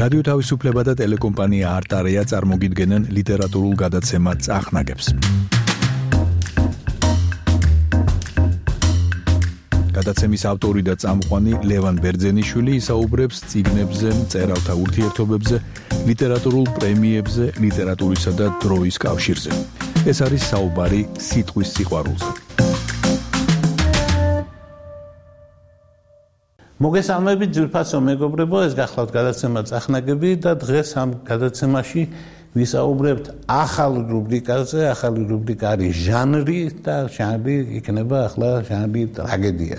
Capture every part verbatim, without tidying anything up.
რადიო თავისუფლება და ტელეკომპანია არტარეა წარმოგიდგენენ ლიტერატურულ გადაცემა წახნაგებს. გადაცემის ავტორი და წამყვანი ლევან ბერძენიშვილი ისაუბრებს წიგნებზე, მწერალთა ურთიერთობებზე, ლიტერატურულ პრემიებზე, ლიტერატურისა და დროის კავშირზე. ეს არის საუბარი სიტყვის სიყვარულზე. მოგესალმებით ძვირფასო მეგობრებო, ეს გახლავთ გადაცემა წახნაგები და დღეს ამ გადაცემაში ვისაუბრებთ ახალ რუბრიკაზე. ახალი რუბრიკა არის ჟანრი და ჟანრი იქნება ახლა ჟანრი ტრაგედია.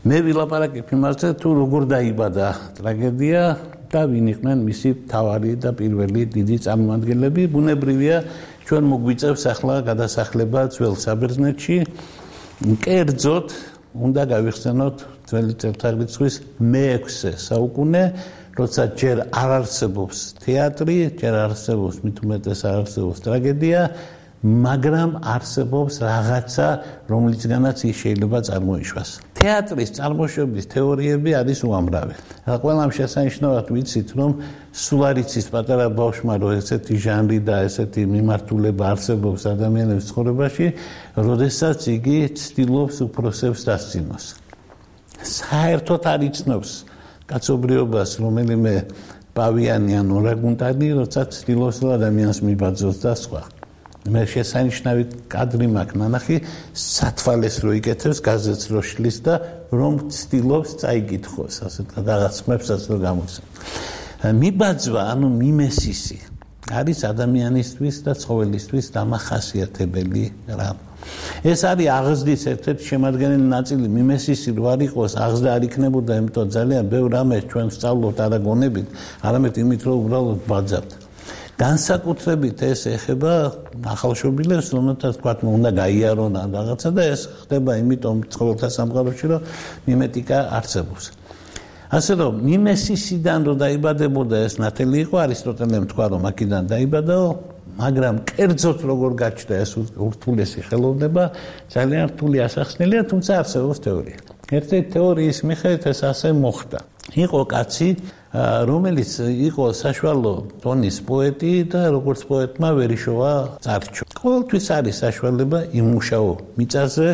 მე ვილაპარაკებ იმაზე, თუ როგორ დაიბადა ტრაგედია და ვინ იყვნენ მისი მთავარი და პირველი დიდი წარმომადგენლები. ბუნებრივია, ჩვენ მოგვიწევს ახლა გადასახლება ძველ საბერძნეთში. კერძოდ უნდა გავიხსენოთ ძველი წელთაღრიცხვის მეექვსე საუკუნე, როცა ჯერ არ არსებობს თეატრი, ჯერ არ არსებობს მით უმეტეს არ არსებობს ტრაგედია, მაგრამ არსებობს რაღაცა, რომლისგანაც ის შეიძლება წარმოიშვას. თეატრის წარმოშობის თეორიები არის უამრავი. ყველამ შესანიშნავად ვიცით, რომ სულ არ იცის პატარა ბავშვმა, რომ ესეთი ჟანრი და ესეთი მიმართულება არსებობს ადამიანების ცხოვრებაში, როდესაც იგი ცდილობს უფროსებს დასცინოს. საერთოდ არ იცნობს კაცობრიობას რომელიმე პავიანი ან ორანგუტანი, როცა ცდილობს ადამიანს მიბაძოს და სხვა. მე შესანიშნავი კადრი მაქვს ნანახი, სათვალეს რო იკეთებს, გაზეთს რო შლის და რომ ცდილობს წაიკითხოს, ასეთ რაღაც ხმებსაც რო გამოსცემს. მიბაძვა, ანუ მიმესისი არის ადამიანისთვის და ცხოველისთვის დამახასიათებელი რამ. ეს არის აღზრდის ერთ-ერთი შემადგენელი ნაწილი. მიმესისი რო არ იყოს, აღზრდა არ იქნებოდა, იმიტომ ძალიან ბევრ რამეს ჩვენ ვსწავლობთ არა გონებით, არამედ იმით, რომ უბრალოდ ბაძავთ. განსაკუთრებით ეს ეხება ახალშობილებს, რომელთაც თქვა, უნდა გაიარონ რაღაცა და ეს ხდება იმიტომ ცხოველთა სამყაროში, რომ მიმეტიკა არსებობს. ასე რომ მიმესისიდან რო დაიბადებოდა ეს ნათელი იყო, არისტოტელემ თქვა, რომ აქედან დაიბადაო, მაგრამ კერძოდ როგორ გაჩნდა ეს ურთულესი ხელოვნება, ძალიან რთული ასახსნელია, თუმცა არსებობს თეორია. ერთ-ერთი თეორიის მიხედვით ეს ასე მოხდა. იყო კაცი, რომელიც იყო საშუალო ტონის პოეტი და როგორც პოეტმა ვერიშოვა წარჩო. ყოველთვის არის საშუალება იმუშაო მიწაზე,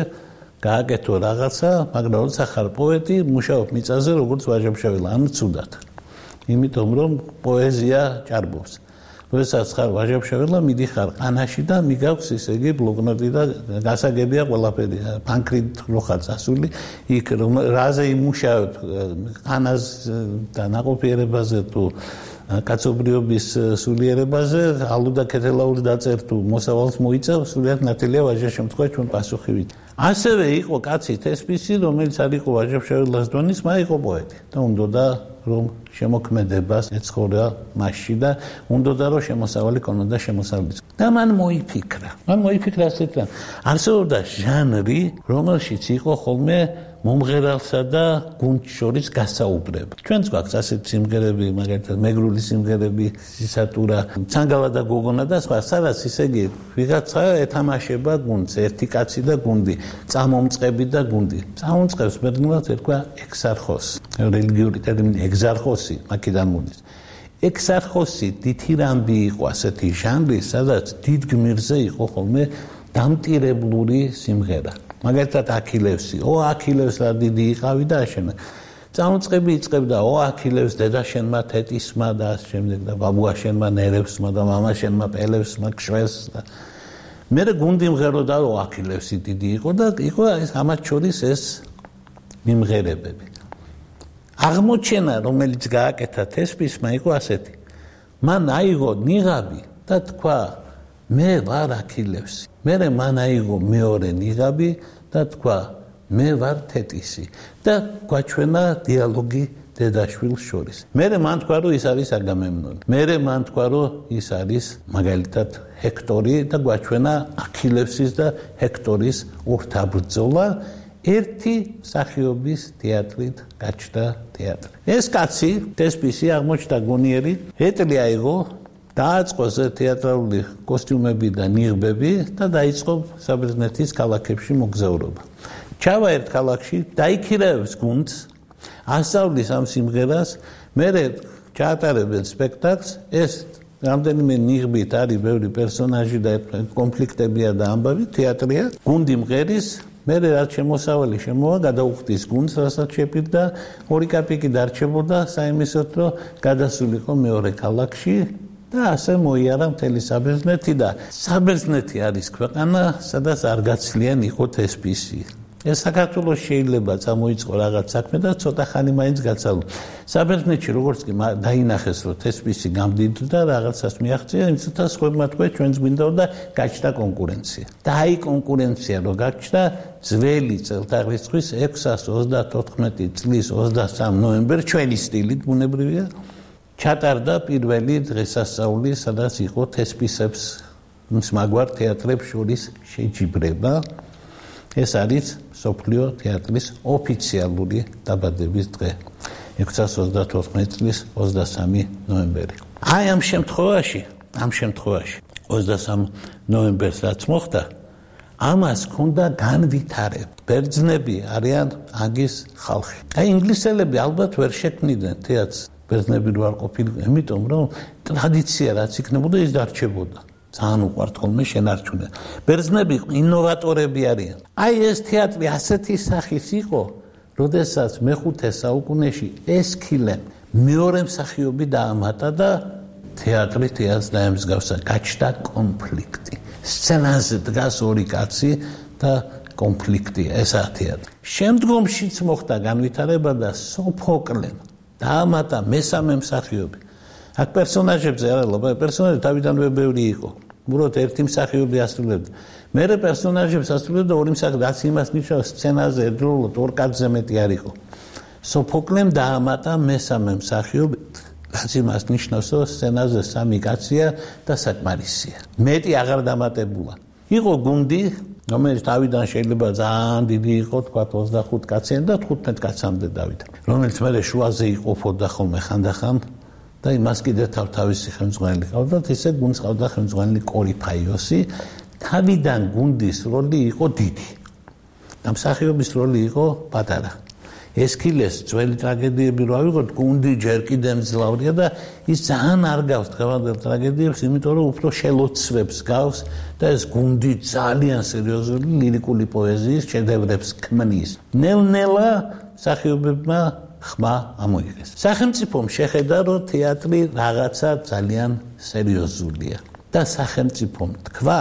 გააკეთო რაღაცა, მაგრამ როცა ხარ პოეტი, მუშაობ მიწაზე როგორც ვაჟა-ფშაველა, ანუ ცუდად. იმიტომ რომ პოეზია ჭარბობს. როდესაც ხარ ვაჟა-ფშაველა, მიდიხარ ყანაში და მიგაქვს ისე იგი ბლოკნოტი და გასაგებია ყველაფერი. ფანქრით რო ხარ წასული, იქ რომ რაზე იმუშავებ, ყანას და ნაყოფიერებაზე თუ კაცობრიობის სულიერებაზე, ალუ და ქეთელაური დაწერ თუ მოსავალს მოიწევ, სულიად ნათელია ვაჟა შემთხვევაში ჩვენ პასუხი ვით. ასევე იყო კაცი თესპისი, რომელიც არ იყო ვაჟა-ფშაველას დონის, მაგრამ იყო პოეტი და უნდოდა რომ შემოქმედებას ეცხოვრა მასში და უნდოდა რომ შემოსავალი ქონოდა შემოსავლის. და მან მოიფიქრა. მან მოიფიქრა ასეთ რამ. არსებობდა ჟანრი, რომელშიც იყო ხოლმე მომღერალსა და გუნდს შორის გასაუბრება. ჩვენც გვაქვს ასეთი სიმღერები, მაგალითად მეგრული სიმღერები, სისატურა, ცანგალა და გოგონა და სხვა, სადაც ისე იგი ვიღაცა ეთამაშება გუნდს, ერთი კაცი და გუნდი, წამომწყები და გუნდი. წამომწყებს ბერძნულად ერქვა ექსარხოსი. რელიგიური ტერმინი ეგზარხოსი აქედან მოდის. ექსარხოსი დითირამბი იყო ასეთი ჟანრი, სადაც დიდ გმირზე იყო ხოლმე დამტირებლური სიმღერა. მაგალითად აქილევსი, ო აქილევს რა დიდი იყავი და აშენა. წამოწყები იწყებდა, ო აქილევს დედაშენმა თეთისმა და ამ შემდეგ და ბაბუაშენმა ნერევსმა და მამაშენმა პელევსმა ქსველს და მე გუნდი მღეროდა, ო აქილევსი დიდი იყო და იყო ეს ამათ შორის ეს მიმღერებები. აღმოჩენა, რომელიც გააკეთა თესპისმა, იყო ასეთი. მან აიღო ნიღაბი და თქვა, მე ვარ აქილევსი. მერე მან აიღო მეორე ნიღაბი და თქვა, მე ვარ თეთისი და გვაჩვენა დიალოგი დედაშვილს შორის. მერე მან თქვა, რომ ის არის აგამემნონი. მერე მან თქვა, რომ ის არის მაგალითად ჰექტორი და გვაჩვენა აქილევსის და ჰექტორის ურთაბრძოლა. ერთი მსახიობის თეატრით გაჩნდა თეატრი. ეს კაცი, თესპისი აღმოჩნდა გონიერი, ეტლი აიღო, დააწყო თეატრალური კოსტიუმები და ნიღბები და დაიწყო საბერძნეთის ქალაქებში მოგზაურობა. ჩავა ერთ ქალაქში, დაიქირავებს გუნდს, ასწავლის ამ სიმღერას, მერე ჩაატარებენ სპექტაკლს, ეს რამდენიმე ნიღბით არის ბევრი პერსონაჟი და კონფლიქტებია და ამბავი, თეატრია, გუნდი მღერის, მერე რაც შემოსავალი შემოვა, გადაუხდის გუნდს, რასაც შეპირდა, ორი კაპიკი დარჩებოდა საიმისოდ, რომ გადასულიყო მეორე ქალაქში და ასე მოიარა მთელი საბერძნეთი და საბერძნეთი არის ქვეყანა, სადაც არ გაცლიან იყო თესპისი. ეს საქართველოს შეიძლება წამოიწყო რაღაც საქმე და ცოტა ხანი მაინც გაცალო. საბერძნეთში როგორც კი დაინახეს, რომ თესპისი გამდიდრდა, რაღაცას მიაღწია, იმცოთა სხვებმა თქვა ჩვენს გვინდა და გაჩნდა კონკურენცია. და აი კონკურენცია რო გაჩნდა, ძველი წელთაღრიცხვის ექვსას ოცდათოთხმეტი წლის ოცდასამი ნოემბერს ჩვენი სტილით ბუნებრივია ჩატარდა პირველი დღესასწაული, სადაც იყო თესპისებს მსმაგვარ თეატრებს შორის შეჯიბრება. ეს არის სოფლიო თეატრის ოფიციალური დაბადების დღე. ექვსას ოცდათოთხმეტი წლის ოცდასამი ნოემბერი. აი ამ შემთხვევაში, ამ შემთხვევაში ოცდასამი ნოემბერს რაც მოხდა, ამას ჰქონდა განვითარება. ბერძნები არიან აგის ხალხი. აი ინგლისელები ალბათ ვერ შექმნიდნენ თეატრს. ბერძნები რო არ ყოფილიყო, იმიტომ რომ ტრადიცია რაც იქნებოდა ის დარჩებოდა. ძალიან უყვართ ხოლმე შენარჩუნა. ბერძნები ინოვატორები არიან. აი ეს თეატრი ასეთი სახის იყო, როდესაც მეხუთე საუკუნეში ესქილემ მეორე მსახიობი დაამატა და თეატრი თეატრს დაემსგავსა. გაჩნდა კონფლიქტი. სცენაზე დგას ორი კაცი და კონფლიქტი ესაა თეატრი. შემდგომშიც მოხდა განვითარება და სოფოკლემ დაამატა მესამე მსახიობი. აქ პერსონაჟებზე არა ლობა, პერსონაჟი თავიდანვე ბევრი იყო. უბრალოდ ერთი მსახიობი ასრულებდა. მერე პერსონაჟებს ასრულებდა ორი მსახიობი, რაც იმას ნიშნავს სცენაზე ერთდროულად ორ კაცზე მეტი არ იყო. სოფოკლემ დაამატა მესამე მსახიობი, რაც იმას ნიშნავს, რომ სცენაზე სამი კაცია და საკმარისია. მეტი აღარ დამატებულა. იყო გუნდი, რომელიც თავიდან შეიძლება ძალიან დიდი იყო, თქვა ოცდახუთ კაციანი და თხუთმეტ კაცამდე დავიდა. რომელიც მერე შუაზე იყოფოდა ხოლმე ხანდახან და იმას კიდე თავთავისი ხელმძღვანელი ყავდა, ისე გუნდს ყავდა ხელმძღვანელი კორიფაიოსი. თავიდან გუნდის როლი იყო დიდი. და მსახიობის როლი იყო პატარა. ესქილეს ძველი ტრაგედიები რო ავიღოთ, გუნდი ჯერ კიდე მძლავრია და ის ძალიან არ გავს დღევანდელ ტრაგედიებს, იმიტომ რომ უფრო შელოცვებს გავს და ეს გუნდი ძალიან სერიოზული ლირიკული პოეზიის შედევრებს ქმნის. ნელ-ნელა მსახიობებმა ხმა ამოიღეს. სახელმწიფომ შეხედა, რომ თეატრი რაღაცა ძალიან სერიოზულია და სახელმწიფომ თქვა,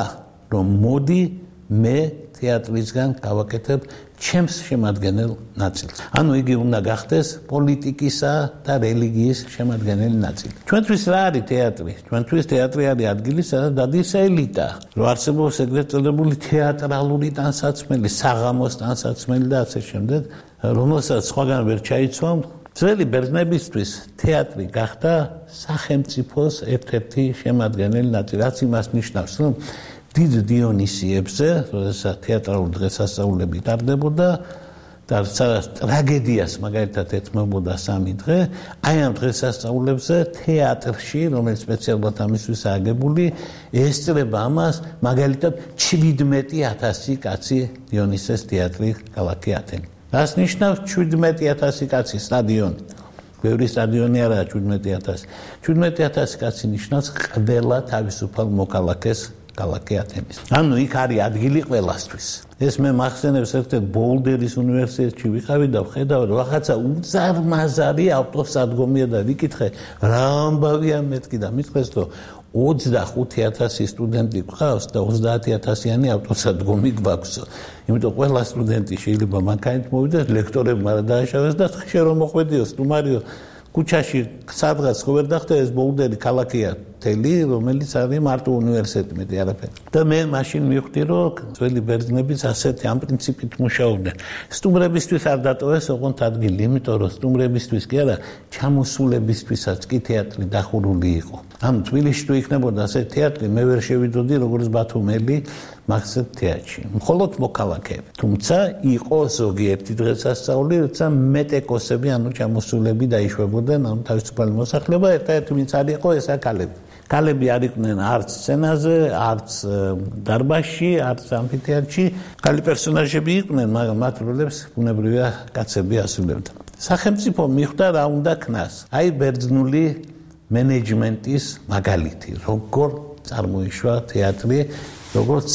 რომ მოდი მე თეატრისგან გავაკეთებ ჩემს შემადგენელ ნაწილს. ანუ იგი უნდა გახდეს პოლიტიკისა და რელიგიის შემადგენელი ნაწილი. ჩვენთვის რა არის თეატრი? ჩვენთვის თეატრი არის ადგილი, სადაც დადის ელიტა. რო არსებობს ეგრეთ წოდებული თეატრალური ტანსაცმელი, საღამოს ტანსაცმელი და ასე შემდეგ, რომელსაც სხვაგან ვერ ჩაიცვამ, ძველი ბერძნებისთვის თეატრი გახდა სახელმწიფოს ერთ-ერთი შემადგენელი ნაწილი. რაც იმას ნიშნავს, რომ დიდ დიონისიებზე, როდესაც თეატრალური დღესასწაულები ტარდებოდა და სადაც ტრაგედიას მაგალითად ეთმობოდა სამი დღე, აი ამ დღესასწაულებზე თეატრში, რომელიც სპეციალურად ამისთვის აგებული, ესწრება ამას მაგალითად შვიდმეტი ათასი კაცი დიონისეს თეატრი ქალაქი ათენი. რას ნიშნავს შვიდმეტი ათასი კაცი სტადიონი? ბევრი სტადიონი არაა შვიდმეტი ათასი. შვიდმეტი ათასი კაცი ნიშნავს ყველა თავისუფალ მოქალაქეს ქალაქი ათენის. ანუ იქ არის ადგილი ყველასთვის. ეს მე მახსენებს ერთ-ერთ ბოულდერის უნივერსიტეტში ვიყავი და ვხედავ, რომ რაღაცა უზარმაზარი ავტოსადგომია და ვიკითხე, რა ამბავია მეთქი და მithქვეს, რომ ოცდახუთი ათასი სტუდენტი გვყავს და ოცდაათი ათასიანი ავტოსადგომი გვაქვს. იმიტომ ყველა სტუდენტი შეიძლება მანქანით მოვიდეს, ლექტორებმა რა დააშავეს და ხშირ რომ მოხვედიო სტუმარიო ქუჩაში სადღაც ხო ვერ დახტა ეს ბოულდერი ქალაქია თელი, რომელიც არის მარტო უნივერსიტეტი, მეტი არაფერი. და მე მაშინ მივხვდი, რომ ძველი ბერძნებიც ასეთი ამ პრინციპით მუშაობდნენ. სტუმრებისთვის არ დატოვეს ოღონდ ადგილი, იმიტომ რომ სტუმრებისთვის კი არა, ჩამოსულებისთვისაც კი თეატრი დახურული იყო. ამ თბილისში თუ იქნებოდა ასეთი თეატრი, მე ვერ შევიდოდი როგორც ბათუმელი მაგსეთ თეატრში. მხოლოდ მოქალაქეები. თუმცა იყო ზოგიერთი დღესასწაული, როცა მეტეკოსები, ანუ ჩამოსულები დაიშვებოდნენ, ანუ თავისუფალი მოსახლეობა, ერთ-ერთი ვინც არ იყო, ესა ქალები. ქალები არ იყვნენ არც სცენაზე, არც დარბაზში, არც ამფითეატრში. ქალი პერსონაჟები იყვნენ, მაგრამ მათ როლებს ბუნებრივია კაცები ასრულებდნენ. სახელმწიფო მიხვდა რა უნდა ქნას. აი ბერძნული მენეჯმენტის მაგალითი, როგორ წარმოიშვა თეატრი, როგორც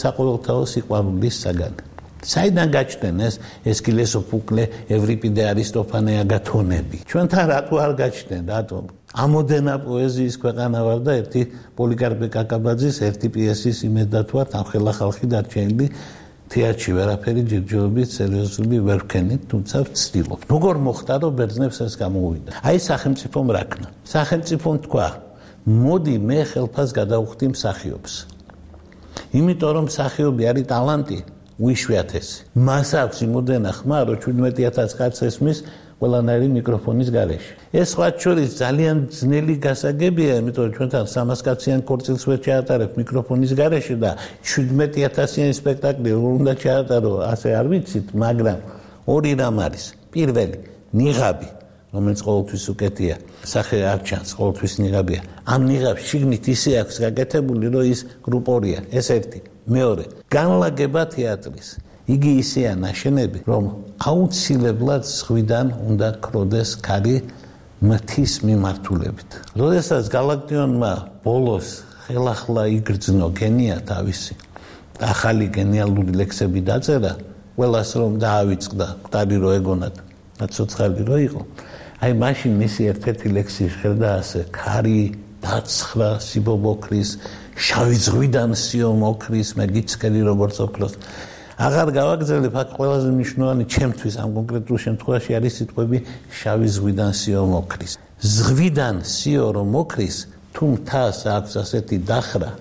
საყოველთაო სიყვარულის საგანი. საიდან გაჩნდნენ ეს ესქილე სოფოკლე, ევრიპიდე, არისტოფანე, აგათონები? ჩვენთან რატო არ გაჩნდნენ? რატომ? ამოდენა პოეზიის ქვეყანა ვარ და ერთი პოლიკარპე კაკაბაძის ერთი პიესის იმედად ვარ, ამხელა ხალხი დარჩენილი თეატრში ვერაფერი ჯერჯერობით სერიოზული ვერ ვქენით, თუმცა ვცდილობ. როგორ მოხდა, რომ ბერძნებს ეს გამოუვიდა? აი სახელმწიფომ რა ქნა. სახელმწიფომ თქვა, მოდი მე ხელფას გადავხდი მსახიობს. იმიტომ რომ მსახიობი არის ტალანტი, უიშვიათესი. მას აქვს იმოდენა ხმა, რომ შვიდმეტი ათას კაცს ესმის ყველანაირი მიკროფონის გარეშე. ეს სხვა შორის ძალიან ძნელი გასაგებია, იმიტომ რომ ჩვენთან სამას კაციან ქორწილს ვერ ჩაატარებ მიკროფონის გარეშე და შვიდმეტი ათასიანი სპექტაკლი როგორ უნდა ჩაატარო, ასე არ ვიცით, მაგრამ ორი რამ არის. პირველი, ნიღაბი, რომელიც ყოველთვის უკეთია, სახე არ ჩანს, ყოველთვის ნიღაბია. ამ ნიღაბს შიგნით ისე აქვს გაკეთებული, რომ ის გრუპორია, ეს ერთი. მეორე, განლაგება თეატრის. იგი ისეა ნაშენები, რომ აუცილებლად ზღვიდან უნდა ქროდეს ქარი მათის მიმართულებით. როდესაც გალაქტიონმა ბოლოს ხელახლა იგრძნო გენია თავისი, ახალი გენიალური ლექსები დაწერა, ყველას რომ დაავიწყდა, მკვდარი რო ეგონათ, ცოცხალი რო იყო. აი მაშინ მისი ერთ-ერთი ლექსი ჟღერდა ასე: ქარი დაცხრა სიბობოქრის, შავი ზღვიდან სიო მოკრის, მე გიცქერი როგორც ოქროს. აღარ გავაგრძელებ, აქ ყველაზე მნიშვნელოვანი ჩემთვის ამ კონკრეტულ შემთხვევაში არის სიტყვები შავი ზღვიდან სიო მოკრის. ზღვიდან სიო რომ მოკრის, თუ მთას აქვს ასეთი დახრა,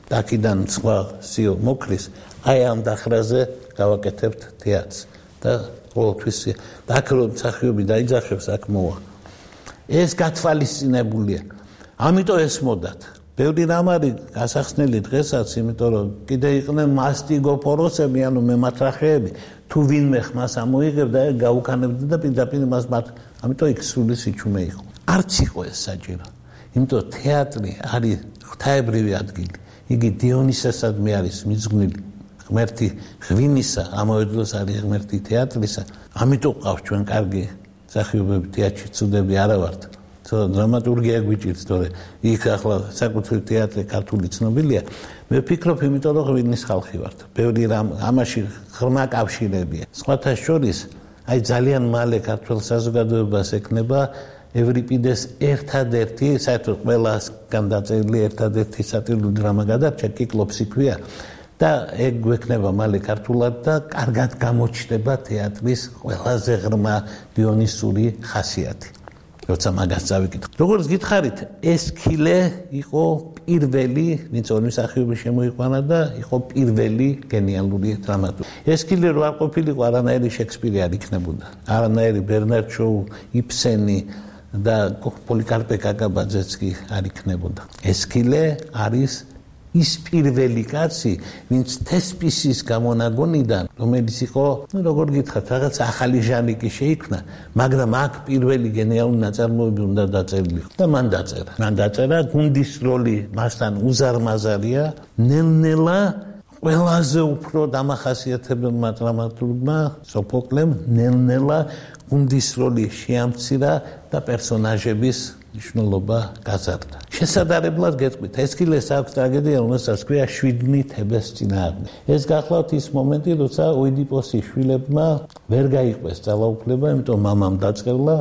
დაკიდან სხვა სიო მოკრის, აი ამ დახრაზე გავაკეთებთ თეატრს და ყოველთვის აქ რომ მსახიობი დაიძახებს, აქ მოვა. ეს გათვალისწინებულია. ამიტომ ესმოდათ. ბევრი რამ არის გასახსნელი დღესაც, იმიტომ რომ კიდე იყვნენ მასტიგოფოროსები, ანუ მემათრახეები, თუ ვინმე ხმას ამოიღებდა, გაუქანებდა და პირდაპირ მას მათ, ამიტომ იქ სული სიჩუმე იყო. არც იყო ეს საჭირო. იმიტომ თეატრი არის ღვთაებრივი ადგილი. იგი დიონისესადმე არის მიძღვნილი. ღმერთი ღვინისა, ამავე დროს არის ღმერთი თეატრისა. ამიტომ ყავს ჩვენ კარგი მსახიობები თეატრში, ცუდები არა ვართ. დრამატურგია გვიჭირს, თორე იქ ახლა საკუთრივ თეატრი ქართული ცნობილია. მე ვფიქრობ, იმიტომ რომ ღვინის ხალხი ვართ. ბევრი რამ ამაში ღრმა კავშირებია. სხვათა შორის, აი ძალიან მალე ქართულ საზოგადოებას ექნება ევრიპიდეს ერთადერთი, საერთოდ ყველასგან დაწერილი ერთადერთი სატირული დრამა გადარჩა, კიკლოპსი ქვია. და ეგ გვექნება მალე ქართულად და კარგად გამოჩნდება თეატრის ყველაზე ღრმა დიონისური ხასიათი. როცა მაგას წავიკითხე. როგორც გითხარით, ესქილე იყო პირველი, ვინც ორი მსახიობი შემოიყვანა და იყო პირველი გენიალური დრამატურგი. ესქილე რო არ ყოფილიყო, არანაირი შექსპირი არ იქნებოდა. არანაირი ბერნარდ შოუ, იბსენი და პოლიკარპე კაკაბაძეც კი არ იქნებოდა. ესქილე არის ის პირველი კაცი, ვინც თესპისის გამონაგონიდან, რომელიც იყო, ну, როგორ გითხრათ, რაღაც ახალი ჟანრი კი შეიქმნა, მაგრამ აქ პირველი გენიალური ნაწარმოები უნდა დაწერილიყო და მან დაწერა. მან დაწერა, გუნდის როლი მასთან უზარმაზარია, ნელ-ნელა ყველაზე უფრო დამახასიათებელმა დრამატურგმა, სოფოკლემ, ნელ-ნელა გუნდის როლი შეამცირა და პერსონაჟების მნიშვნელობა გაზარდა. შესაძლებლად გეტყვით, ესქილეს აქვს ტრაგედია, რომელსაც ქვია შვიდნი თებეს წინააღმდეგ. ეს გახლავთ ის მომენტი, როცა ოიდიპოსის შვილებმა ვერ გაიყვეს ძალაუფლება, იმიტომ მამამ დაწყევლა,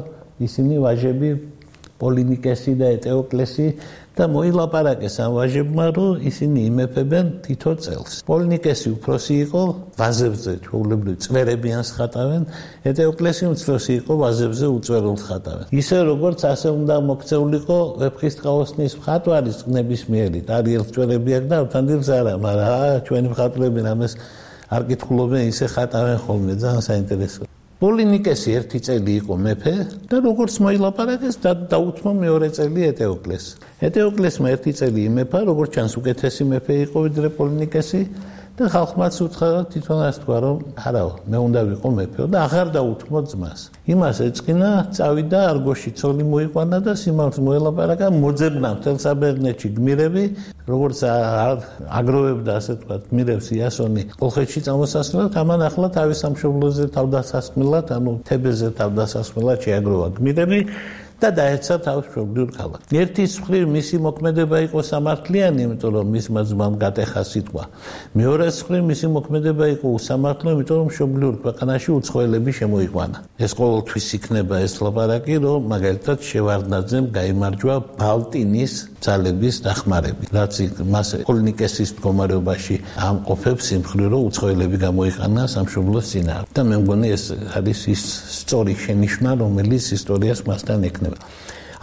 ისინი ვაჟები პოლინიკესი და ეტეოკლესი და მოილაპარაკეს ამ ვაჟებმა, რომ ისინი იმეფებენ თითო წელს. პოლინიკესი უფროსი იყო, ვაზებზე ჩვეულებრივ წვერებიანს ხატავენ, ეტეოკლესი უმცროსი იყო, ვაზებზე უწვერულს ხატავენ. ისე როგორც ასე უნდა მოქცეულიყო ვეფხისტყაოსნის მხატვარის ნებისმიერი, დარიელს წვერები აქვს და ავთანდილს არა, მაგრამ ჩვენი მხატვრები რამეს არ კითხულობენ, ისე ხატავენ ხოლმე, ძალიან საინტერესოა. პოლინიკესი ერთი წელი იყო მეფე და როგორც მოილაპარაკეს და დაუთმო მეორე წელი ეტეოკლეს. ეტეოკლესმა ერთი წელი იმეფა, როგორც ჩანს უკეთესი მეფე იყო ვიდრე პოლინიკესი და ხალხმაც უთხრა თვითონ ასე თქვა რომ არაო მე უნდა ვიყო მეფეო და აღარ დაუთმო ძმას იმას ეწყინა წავიდა არგოში ცოლი მოიყვანა და სიმართლე მოელაპარაკა მოძებნა მთელ საბერძნეთში გმირები როგორც აგროვებდა ასე თქვა გმირებს იასონი კოლხეთში წამოსასვლელად ამან ახლა თავის სამშობლოზე თავდასასხმელად ანუ თებეზე თავდასასხმელად შეაგროვა გმირები და დაეცა თავის მშობლიურ ქალაქს. ერთის მხრივ მისი მოქმედება იყო სამართლიანი, იმიტომ რომ მისმა ძმამ გატეხა სიტყვა. მეორეს მხრივ მისი მოქმედება იყო უსამართლო, იმიტომ რომ მშობლიურ ქვეყანაში უცხოელები შემოიყვანა. ეს ყოველთვის იქნება ეს ლაპარაკი, რომ მაგალითად შევარდნაძემ გაიმარჯვა ბალტინის ძალების დახმარებით, რაც მას პოლნიკესის მდგომარეობაში ამყოფებს იმ მხრივ, რომ უცხოელები გამოიყანა სამშობლოს წინააღმდეგ. და მე მგონი ეს არის ის სწორი შენიშვნა, რომელიც ისტორიას მასთან ექნება.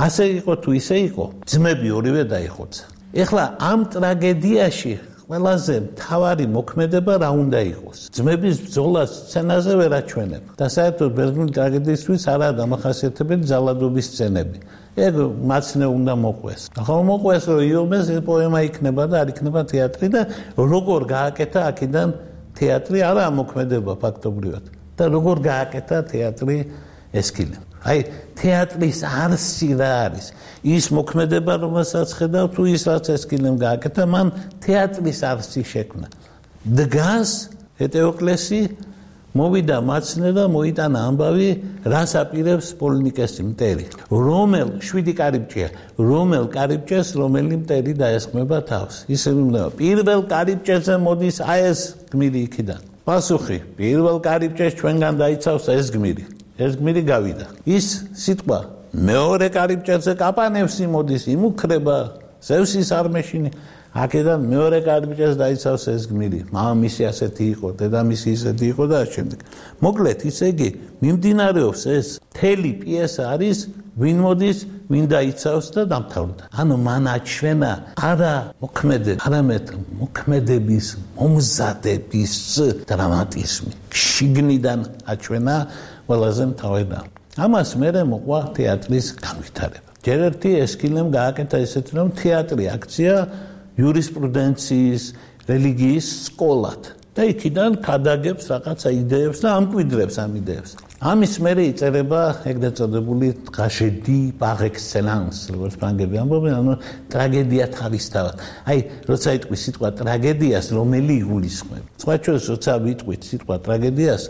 ასე იყო თუ ისე იყო, ძმები ორივე დაიხოცა. ეხლა ამ ტრაგედიაში ყველაზე მთავარი მოქმედება რა უნდა იყოს? ძმების ბრძოლას სცენაზე ვერ აჩვენებ. და საერთოდ ბერძნული ტრაგედიისთვის არაა დამახასიათებელი ძალადობის სცენები. ეგ მაცნე უნდა მოყვეს. ახლა მოყვეს რომ იომეს პოემა იქნება და არ იქნება თეატრი და როგორ გააკეთა აქედან თეატრი არა მოქმედება ფაქტობრივად. და როგორ გააკეთა თეატრი ესკილე. აი თეატრის არსი რა არის? ის მოქმედება რომელსაც ხედავ თუ ის რაც ესკილემ გააკეთა, მან თეატრის არსი შექმნა. დგას ეტეოკლესი მოვიდა მაცნე და მოიტანა ამბავი, რას აპირებს პოლნიკესი მტერი. რომელ შვიდი კარიბჭეა, რომელ კარიბჭეს რომელი მტერი დაესხმება თავს. ისე ვიმევა, პირველ კარიბჭეზე მოდის აი ეს გმირი იქიდან. პასუხი, პირველ კარიბჭეს ჩვენგან დაიცავს ეს გმირი. ეს გმირი გავიდა. ის სიტყვა მეორე კარიბჭეზე კაპანევს იმოდის, იმუქრება, ზევსის არმეშინი. აქედან მეორე კარიბჭეს დაიცავს ეს გმირი. მამამისი ასეთი იყო, დედამისი ისეთი იყო და შემდეგ. მოკლედ, ისე იგი მიმდინარეობს ეს მთელი პიესა არის ვინ მოდის, ვინ დაიცავს და დამთავრდა. ანუ მან აჩვენა არა მოქმედება, არამედ მოქმედების მომზადების დრამატიზმი. შიგნიდან აჩვენა ყველაზე მთავარი. ამას მერე მოყვა თეატრის განვითარება. ჯერ ერთი ესკილემ გააკეთა ესეთი რომ თეატრი აქცია იურისპრუდენციის, რელიგიის სკოლად და იქიდან ქადაგებს რაღაცა იდეებს და ამკვიდრებს ამ იდეებს. ამის მერე იწერება ეგრეთ წოდებული ტრაჟედია par excellence, როგორც ფრანგები ამბობენ, ანუ ტრაგედია თავისთავად. აი, როცა იტყვი სიტყვა ტრაგედიას, რომელი იგულისხმება. სხვა შორის, როცა ვიტყვით სიტყვა ტრაგედიას,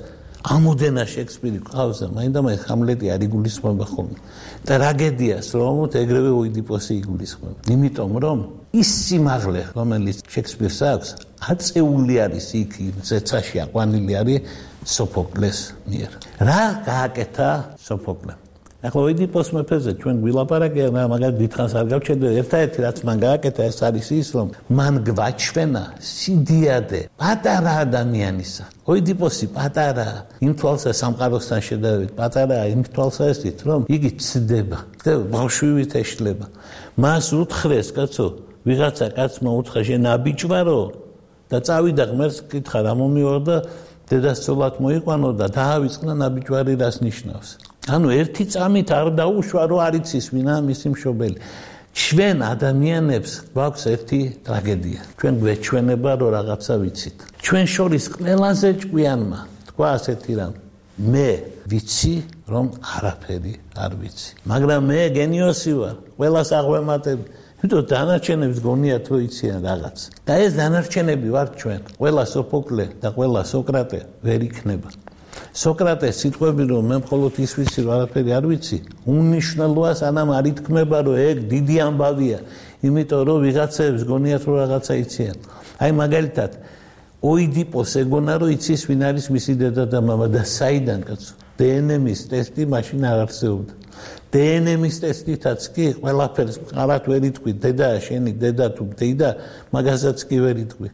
ამოდენა შექსპირი ყავს და მაინდა-მაინც ჰამლეტი არ იგულისხმება ხოლმე. ტრაგედიას რომ ეგრევე ოიდიპოსი იგულისხმება. იმიტომ რომ ის სიმაღლე, რომელიც შექსპირს აქვს, აწეული არის იქ ზეცაში აყვანილი არის სოფოკლეს მიერ. რა გააკეთა სოფოკლემ? ახლა ოიდიპოს მეფეზე ჩვენ გვილაპარაკია, მაგალითად დიდხანს არ გავჩერდე, ერთადერთი რაც მან გააკეთა ეს არის ის, რომ მან გვაჩვენა სიდიადე პატარა ადამიანისა. ოიდიპოსი პატარაა, იმ თვალსა სამყაროსთან შედარებით პატარაა, იმ თვალსაზრისით, რომ იგი ცდება და ბავშვივით ეშლება. მას უთხრეს, კაცო, ვიღაცა კაცმა უთხრა შენ აბიჭვარო და წავიდა ღმერთს კითხა რა მომიორო და დედასწოლად მოიყვანო და დაავიწყნა ნაბიჯვარი რას ნიშნავს. ანუ ერთი წამით არ დაუშვა რომ არ იცის ვინა მისი მშობელი. ჩვენ ადამიანებს გვაქვს ერთი ტრაგედია. ჩვენ გვეჩვენება რომ რაღაცა ვიცით. ჩვენ შორის ყველაზე ჭკვიანმა თქვა ასეთი რამ. მე ვიცი რომ არაფერი არ ვიცი. მაგრამ მე გენიოსი ვარ. ყველას აღვემატებ. იმიტომ დანარჩენებს გონიათ რომ იციან რაღაც. და ეს დანარჩენები ვართ ჩვენ. ყველა სოფოკლე და ყველა სოკრატე ვერ იქნება. სოკრატეს სიტყვები რომ მე მხოლოდ ის ვიცი რომ არაფერი არ ვიცი, უნიშნელოა სანამ არ ითქმება რომ ეგ დიდი ამბავია, იმიტომ რომ ვიღაცებს გონიათ რომ რაღაცა იციან. აი მაგალითად ოიდიპოს ეგონა რომ იცის ვინ არის მისი დედა და მამა და საიდან კაცო? დე ენ ემის ტესტი მაშინ არ არსებობდა. დე ენ ემის ტესტითაც კი ყველაფერს ყარად ვერ იტყვი, დედაა შენი დედა თუ დეიდა, მაგასაც კი ვერ იტყვი.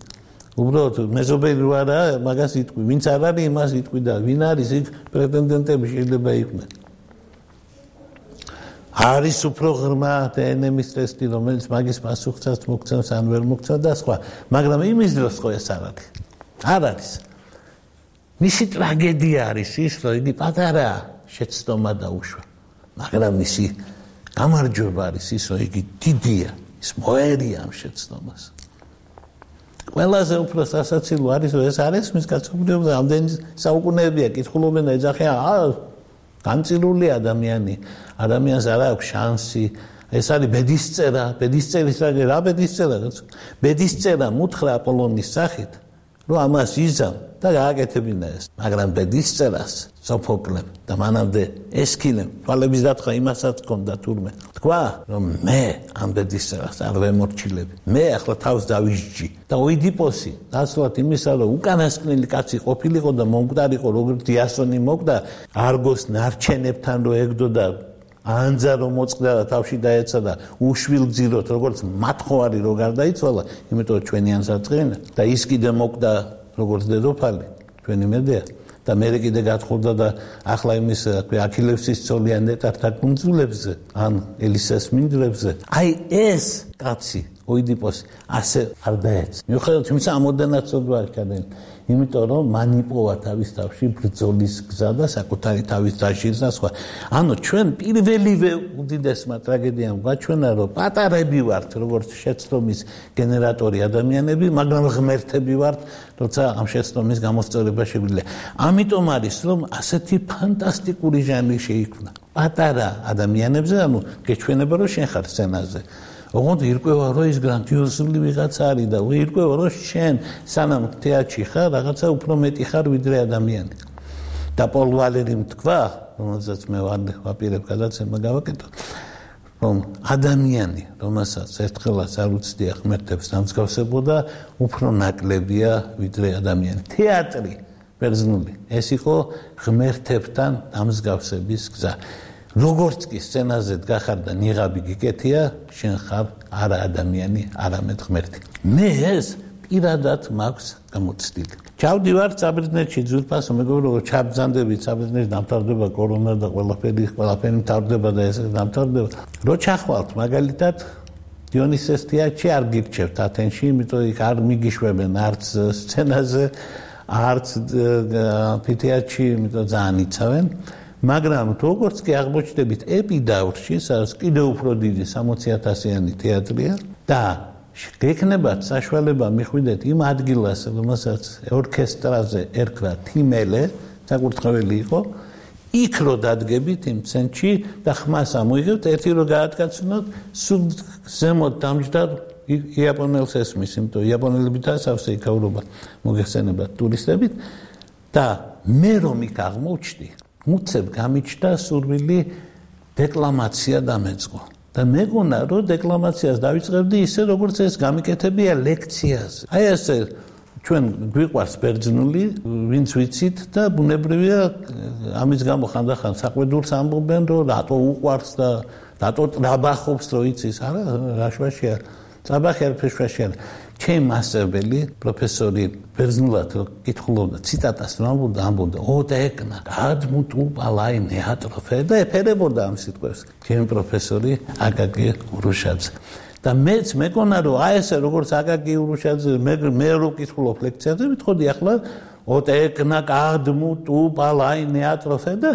უბრალოდ მეზობელი რო არა, მაგას იტყვი, ვინც არ არის, იმას იტყვი და ვინ არის იქ პრეტენდენტები შეიძლება იყვნენ. არის უფრო ღრმა დე ენ ემის ტესტი, რომელიც მაგის პასუხსაც მოგცემს ან ვერ მოგცემს და სხვა, მაგრამ იმის დროს ხო ეს არ არის. არ არის. მისი ტრაგედია არის ის, რომ იგი პატარაა, შეცდომა დაუშვა. მაგრამ მისი გამარჯვება არის ის, რომ იგი დიდია, ის მოერია ამ შეცდომას. ყველაზე უფრო სასაცილო არის რომ ეს არის მის კაცობრიობა ამდენი საუკუნეებია კითხულობენ და ეძახიან აა განწილული ადამიანი ადამიანს არ აქვს შანსი ეს არის ბედისწერა ბედისწერის რა ბედისწერა ბედისწერა მუთხრა აპოლონის სახით რომ ამას იზამ და გააკეთებინა ეს მაგრამ ბედისწერას სოფოკლემ და მანამდე ესქილემ თვალების დათხრა იმასაც ჰქონდა თურმე თქვა რომ მე ამ ბედისწერას არ ვემორჩილები მე ახლა თავს დავისჯი და ოიდიპოსი ნაცვლად იმისა რომ უკანასკნელი კაცი ყოფილიყო და მომკვდარიყო როგორც იასონი მოკვდა არგოს ნარჩენებთან რო ეგდო და ანძა რომ მოწყდა და თავში დაეცა და უშვილ გზიროთ როგორც მათხოვარი რო გარდაიცვალა იმიტომ ჩვენი ანსაწყენა და ის კიდე მოკვდა როგორც დედოფალი ჩვენი მედეა და მე კიდე გათხოვდა და ახლა იმის აქილევსის ცოლიან ნეტართა კუნძულებზე ან ელისას მინდვრებზე აი ეს კაცი ოიდიპოსი ასე არ დაეცა მიუხედავად იმისა ამოდანაც ცოდვა ჩადენ იმიტომ რომ მან იპოვა თავის თავში ბრძოლის გზა და საკუთარი თავის დაშლის და სხვა ანუ ჩვენ პირველივე უდიდესმა ტრაგედიამ გვაჩვენა რომ პატარები ვართ როგორც შეცდომის გენერატორი ადამიანები მაგრამ ღმერთები ვართ როცა ამ შეცდომის გამოსწორება შეგვიძლია ამიტომ არის რომ ასეთი ფანტასტიკური ჟანრი შეიქმნა პატარა ადამიანებზე ანუ გეჩვენება რომ შენ ხარ სცენაზე ოღონდ ირკვევა რომ ის გრანდიოზული ვიღაცა არის და ირკვევა რომ შენ სანამ თეატრში ხარ რაღაცა უფრო მეტი ხარ ვიდრე ადამიანი და პოლ ვალერიმ თქვა რომელსაც მე ვაპირებ გადაცემა გავაკეთო რომ ადამიანი რომელსაც ერთხელაც არ უცდია ღმერთებს დამსგავსებოდა უფრო ნაკლებია ვიდრე ადამიანი თეატრი ბერძნული ეს იყო ღმერთებთან დამსგავსების გზა როგორც კი სცენაზე დგახარ და ნიღაბი გიკეთია, შენ ხარ არა ადამიანი, არამედ ღმერთი. მე ეს პირადად მაქვს გამოცდილი. ჩავდივარ საბერძნეთში ძვირფასო მეგობრებო, ჩაბრძანდები საბერძნეთში დამთავრდება კორონა და ყველაფერი ყველაფერი მთავრდება და ეს დამთავრდება. რო ჩახვალთ მაგალითად დიონისეს თეატრში არ გირჩევთ ათენში, იმიტომ იქ არ მიგიშვებენ არც სცენაზე, არც თეატრში, იმიტომ ძალიან იცავენ. მაგრამ როგორც კი აღმოჩნდებით ეპიდავრში, სადაც კიდევ უფრო დიდი სამოცი ათასიანი თეატრია და გექნებათ საშუალება მიხვიდეთ იმ ადგილას, რომელსაც ორკესტრაზე ერქვა თიმელე, საკურთხეველი იყო, იქ რო დადგებით იმ ცენტრში და ხმას ამოიღებთ, ერთი რო გაატკაცნოთ, სულ ზემოთ დამჯდარ იაპონელს ესმის, იმიტომ იაპონელები დასავსე იქაურობა მოგეხსენებათ ტურისტებით და მე რომ იქ აღმოჩნდი უცებ გამიჩნდა სურვილი დეკლამაცია დამეწყო და მეგონა რომ დეკლამაციას დავიწყებდი ისე როგორც ეს გამიკეთებია ლექციაზე. აი ესე ჩვენ გვიყვარს ბერძნული, ვინც ვიცით და ბუნებრივია ამის გამო ხანდახან საყვედურს ამბობენ რომ რატო უყვარს და რატო ტრაბახობს რო იცის, არა რა შვაშია. ტრაბახი არ ფეშვაშია. ჩემი მასწავლებელი პროფესორი ბერძნულად კითხულობდა ციტატას რომ ამბობდა ამბობდა ოდეკნა გადმუტუ პალაინე ატროფე და ეფერებოდა ამ სიტყვებს ჩემი პროფესორი აკაკი ურუშაძე და მეც მეკონა რომ აი ესე როგორც აკაკი ურუშაძე მე მე რო კითხულობ ლექციაზე მითხოდი ახლა ოდეკნა გადმუტუ პალაინე ატროფე და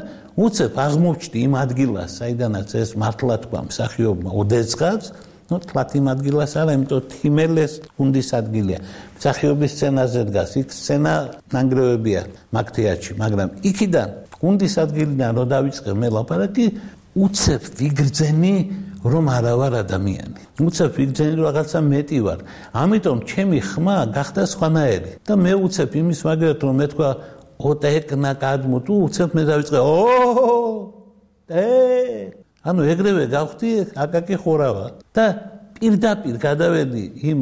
უცებ აღმოჩნდი იმ ადგილას საიდანაც ეს მართლა თქვა მსახიობმა ოდეცღაც ნუ თლათიმ ადგილას არა, იმიტომ თიმელეს გუნდის ადგილია. მსახიობის სცენაზე დგას, იქ სცენა ნანგრევებია მაგ თეატრში, მაგრამ იქიდან გუნდის ადგილიდან რო დავიწყე მე ლაპარაკი, უცებ ვიგრძენი რომ არა ვარ ადამიანი. უცებ ვიგრძენი რომ რაღაცა მეტი ვარ. ამიტომ ჩემი ხმა გახდა სხვანაირი და მე უცებ იმის მაგერად რომ მე თქვა ოტეკნა გადმუტუ, უცებ მე დავიწყე ო ე ანუ ეგრევე გავხდი აკაკი ხურავა და პირდაპირ გადავედი იმ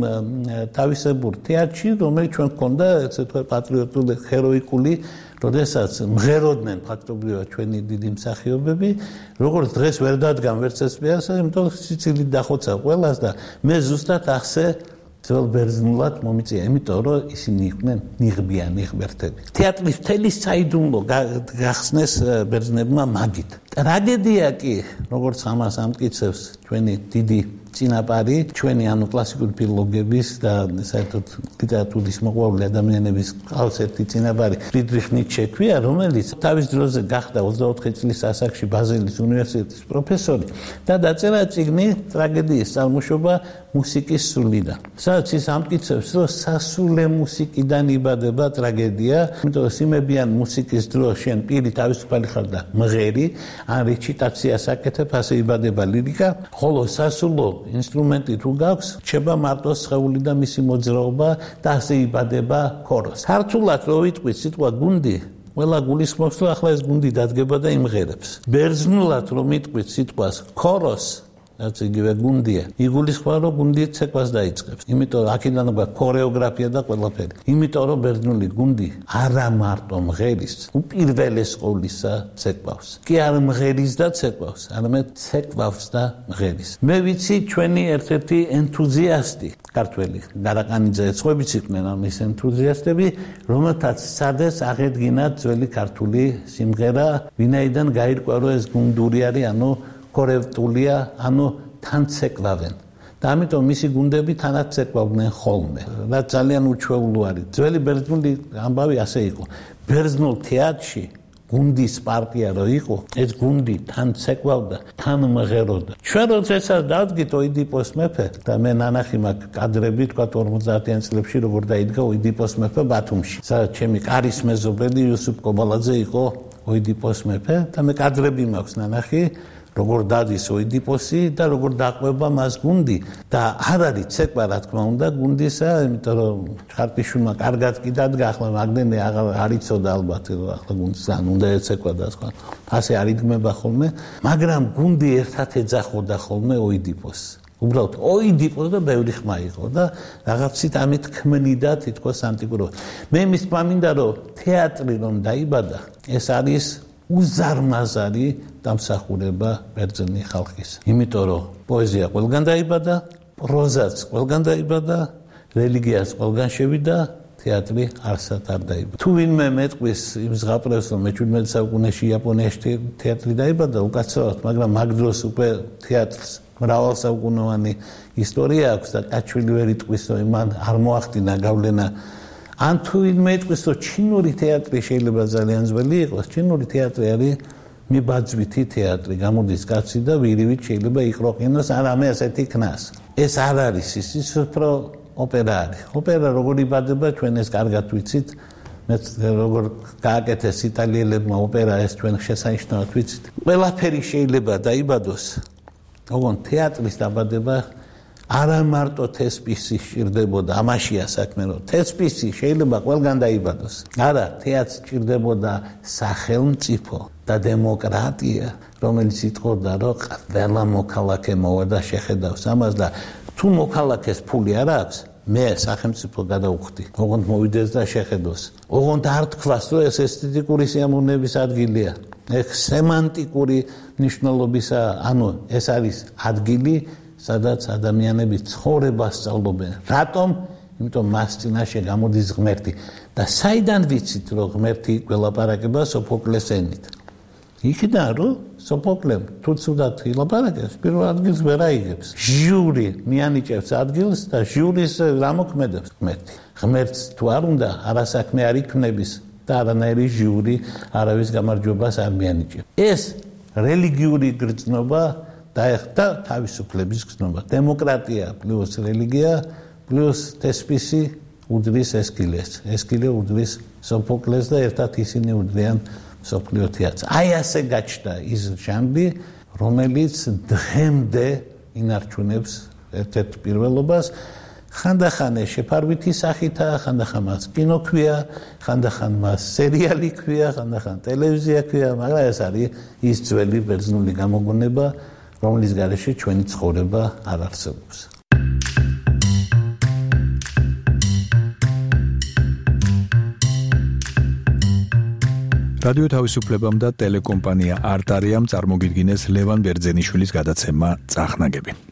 თავისებურ თეატრში, რომელიც ჩვენ გქონდა, ესე თქვა პატრიოტული, ჰეროიკული, როდესაც მღეროდნენ ფაქტობრივად ჩვენი დიდი მსახიობები, როგორც დღეს ვერ დადგამ ვერც ეს პიესა, იმიტომ სიცილით დახოცა ყველას და მე ზუსტად ახსე ძველ ბერძნულად მომიწია, იმიტომ რომ ისინი იყვნენ ნიღბიანი ღმერთები. თეატრის მთელი საიდუმლო გახსნეს ბერძნებმა მაგით. ტრაგედია კი, როგორც ამას ამტკიცებს ჩვენი დიდი წინაპარი, ჩვენი ანუ კლასიკური ფილოლოგების და საერთოდ ლიტერატურის მოყვარული ადამიანების ყავს ერთი წინაპარი, ფრიდრიხ ნიცშე ქვია, რომელიც თავის დროზე გახდა ოცდაოთხი წლის ასაკში ბაზელის უნივერსიტეტის პროფესორი და დაწერა წიგნი ტრაგედიის წარმოშობა მუსიკის სულიდან. სადაც ის ამტკიცებს, რომ სასულე მუსიკიდან იბადება ტრაგედია, იმიტომ რომ სიმებიან მუსიკის დრო შენ პირი თავისუფალი ხარ და მღერი, ან რეჩიტაციას აკეთებ, ასე იბადება ლირიკა, ხოლო სასულო ინსტრუმენტი თუ გაქვს, რჩება მარტო სხეული და მისი მოძრაობა და ასე იბადება ქოროს. ქართულად რო ვიტყვით სიტყვა გუნდი, ყველა გულისხმობს, რომ ახლა ეს გუნდი დადგება და იმღერებს. ბერძნულად რომ ვიტყვით სიტყვას ქოროს, რაც იგივე გუნდია, იგულისხმება, რომ გუნდი ცეკვას დაიწყებს. იმიტომ რომ აქედან გვაქვს ქორეოგრაფია და ყველაფერი. იმიტომ რომ ბერძნული გუნდი არა მარტო მღერის, უპირველეს ყოვლისა ცეკვავს. კი არ მღერის და ცეკვავს, არამედ ცეკვავს და მღერის. მე ვიცი ჩვენი ერთ-ერთი ენთუზიასტი ქართველი გარაკანიძე ეცხოვიც იყვნენ ამის ენთუზიასტები, რომელთაც სადეს აღედგინა ძველი ქართული სიმღერა, ვინაიდან გაირკვა, რომ ეს გუნდური არის, ანუ ქორევტულია, ანუ თან ცეკვავენ. და ამიტომ მისი გუნდები თანაც ცეკვავდნენ ხოლმე. რაც ძალიან უჩვეულო არის. ძველი ბერძნული ამბავი ასე იყო. ბერძნულ თეატრში გუნდის პარტია რო იყო, ეს გუნდი თან ცეკვავდა, თან მღეროდა. ჩვენ როდესაც დავდგით ოიდიპოს მეფე და მე ნანახი მაქვს კადრები, თქვა ორმოცდაათიან წლებში როგორ დაიდგა ოიდიპოს მეფე ბათუმში. სადაც ჩემი კარის მეზობელი იოსებ კობალაძე იყო ოიდიპოს მეფე და მე კადრები მაქვს ნანახი, როგორ დადის ოიდიპოსი და როგორ დაყვება მას გუნდი და არ არის ცეკვა რა თქმა უნდა გუნდისა, იმიტომ რომ ხარპიშვილმა კარგად კი დადგა, ახლა მაგდენი არ იცოდა ალბათ, რომ ახლა გუნდს ან უნდა ეცეკვა და სხვა. ასე არ იდგმება ხოლმე, მაგრამ გუნდი ერთად ეძახოდა ხოლმე ოიდიპოსს. უბრალოდ ოიდიპოს და ბევრი ხმა იყო და რაღაცით ამით ქმნიდა თითქოს ანტიკურობა. მე იმის მამინდა რომ თეატრი რომ დაიბადა, ეს არის უზარმაზარი დამსახურება ბერძენი ხალხის. იმიტომ რომ პოეზია ყველგან დაიბადა, პროზაც ყველგან დაიბადა, რელიგიაც ყველგან შევიდა, თეატრი არსად არ დაიბადა. თუ ვინმე მეტყვის იმ ზღაპრებს, რომ მეჩვიდმეტ საუკუნეში იაპონიაში თეატრი დაიბადა, უკაცრავად, მაგრამ მაგ დროს უკვე თეატრს მრავალსაუკუნოვანი ისტორია აქვს და კაჩვილი ვერ იტყვის, რომ მან არ მოახდინა გავლენა. ან თუ ვინმე იტყვის, რომ ჩინური თეატრი შეიძლება ძალიან ძველი იყოს, ჩინური თეატრი არის მიბაძვითი თეატრი, გამოდის კაცი და ვირივით შეიძლება იყროყინოს, არამე ასეთი ქნას. ეს არ არის ის, ის უფრო ოპერა არის. ოპერა როგორ იბადება, ჩვენ ეს კარგად ვიცით. მეც როგორ გააკეთეს იტალიელებმა ოპერა, ეს ჩვენ შესანიშნავად ვიცით. ყველაფერი შეიძლება დაიბადოს. ოღონდ თეატრის დაბადება არა მარტო თესპისი სჭირდებოდა, ამაშია საქმე, რომ თესპისი შეიძლება ყველგან დაიბადოს. არა, თეატრს სჭირდებოდა სახელმწიფო და დემოკრატია, რომელიც იტყოდა, რომ ყველა მოქალაქე მოვა და შეხედავს ამას და თუ მოქალაქეს ფული არ აქვს, მე სახელმწიფო გადავხდი, ოღონდ მოვიდეს და შეხედოს. ოღონდ არ თქვას, რომ ეს ესთეტიკური სიამოვნების ადგილია. ეს სემანტიკური მნიშვნელობისა, ანუ ეს არის ადგილი, სადაც ადამიანები ცხოვრებას სწავლობენ. რატომ? იმიტომ მას წინაშე გამოდის ღმერთი. და საიდან ვიცით, რომ ღმერთი გველაპარაკება სოფოკლეს ენით? იქიდან, რომ სოფოკლემ თუ ცუდად ილაპარაკებს, პირველ ადგილს ვერ აიღებს. ჟიური მიანიჭებს ადგილს და ჟურის რა მოქმედებს ღმერთი. ღმერთს თუ არ უნდა, არასაქმე არ იქნების და არანაირი ჟიური არავის გამარჯვებას არ მიანიჭებს. ეს რელიგიური გრძნობა დაეხდა თავისუფლების გზნობა. დემოკრატია პლუს რელიგია პლუს თესპისი უდრის ესკილეს. ესკილე უდრის სოფოკლეს და ერთად ისინი უდრიან მსოფლიო თეატრს. აი ასე გაჩნდა ის ჟანრი, რომელიც დღემდე ინარჩუნებს ერთ-ერთ პირველობას. ხანდახან შეფარვითი სახითაა, ხანდახან მას კინო ქვია, ხანდახან მას სერიალი ქვია, ხანდახან ტელევიზია ქვია, მაგრამ ეს არის ის ძველი ბერძნული გამოგონება, რომლის გარეშე ჩვენი ცხოვრება არ არსებობს. რადიო თავისუფლებამ და ტელეკომპანია არტარიამ წარმოგიდგინეს ლევან ბერძენიშვილის გადაცემა წახნაგები.